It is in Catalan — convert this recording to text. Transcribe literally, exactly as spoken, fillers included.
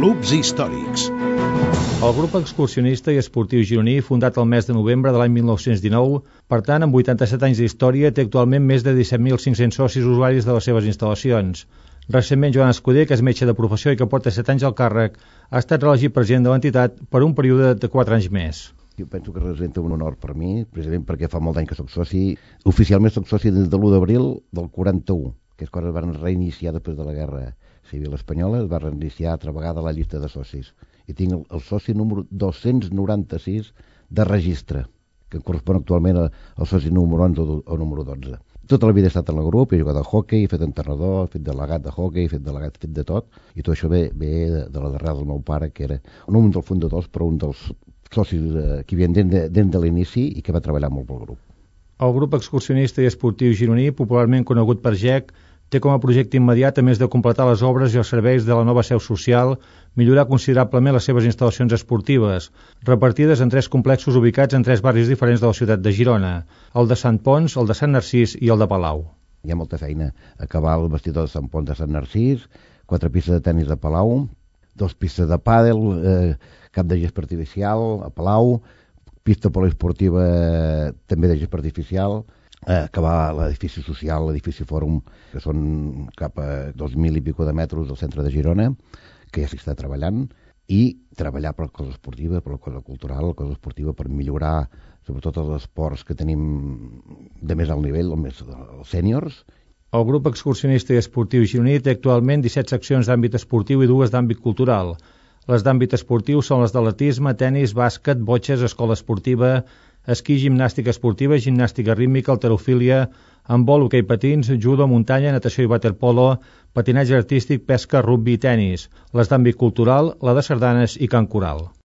Clubs històrics. El grup excursionista i esportiu gironí, fundat el mes de novembre de l'any mil nou-cents dinou, per tant, amb vuitanta-set anys d'història, té actualment més de disset mil cinc-cents socis usuaris de les seves instal·lacions. Recentment, Joan Escuder, que és metge de professió i que porta set anys al càrrec, ha estat reelegit president de l'entitat per un període de quatre anys més. Jo penso que representa un honor per mi, precisament perquè fa molt d'any que soc soci. Oficialment soc soci des de l'u d'abril del quaranta-u, que és quan es van reiniciar després de la Guerra Civil Espanyola, es va reiniciar altra vegada la llista de socis. I tinc el, el soci número dos-cents noranta-sis de registre, que correspon actualment al soci número onze o número dotze. Tota la vida he estat en el grup, he jugat al hoquei, he fet entrenador, he fet delegat de hoquei, he fet delegat, he fet de tot, i tot això ve, ve de, de la darrera del meu pare, que era no un dels fundadors, però un dels socis eh, que havien dins de, de l'inici i que va treballar molt pel grup. El grup excursionista i esportiu gironí, popularment conegut per G E C, té com a projecte immediat, a més de completar les obres i els serveis de la nova seu social, millorar considerablement les seves instal·lacions esportives, repartides en tres complexos ubicats en tres barris diferents de la ciutat de Girona, el de Sant Pons, el de Sant Narcís i el de Palau. Hi ha molta feina. Acabar el vestidor de Sant Pons de Sant Narcís, quatre pistes de tennis a Palau, dos pistes de pàdel, eh, cap de gespa artificial a Palau, pista poliesportiva eh, també de gespa artificial, eh, acabar l'edifici social, l'edifici fòrum, que són cap a dos mil i pico de metres del centre de Girona, que ja s'hi està treballant, i treballar per la cosa esportiva, per la cosa cultural, la cosa esportiva, per millorar sobretot els esports que tenim de més alt nivell, el més, els sèniors. El grup excursionista i esportiu gironí té actualment disset seccions d'àmbit esportiu i dues d'àmbit cultural. Les d'àmbit esportiu són les d'atletisme, tenis, bàsquet, botxes, escola esportiva, esquí, gimnàstica esportiva, gimnàstica rítmica, halterofília, handbol, hoquei patins, judo, muntanya, natació i waterpolo, patinatge artístic, pesca, rugbi i tenis. Les d'àmbit cultural, la de sardanes i cant coral.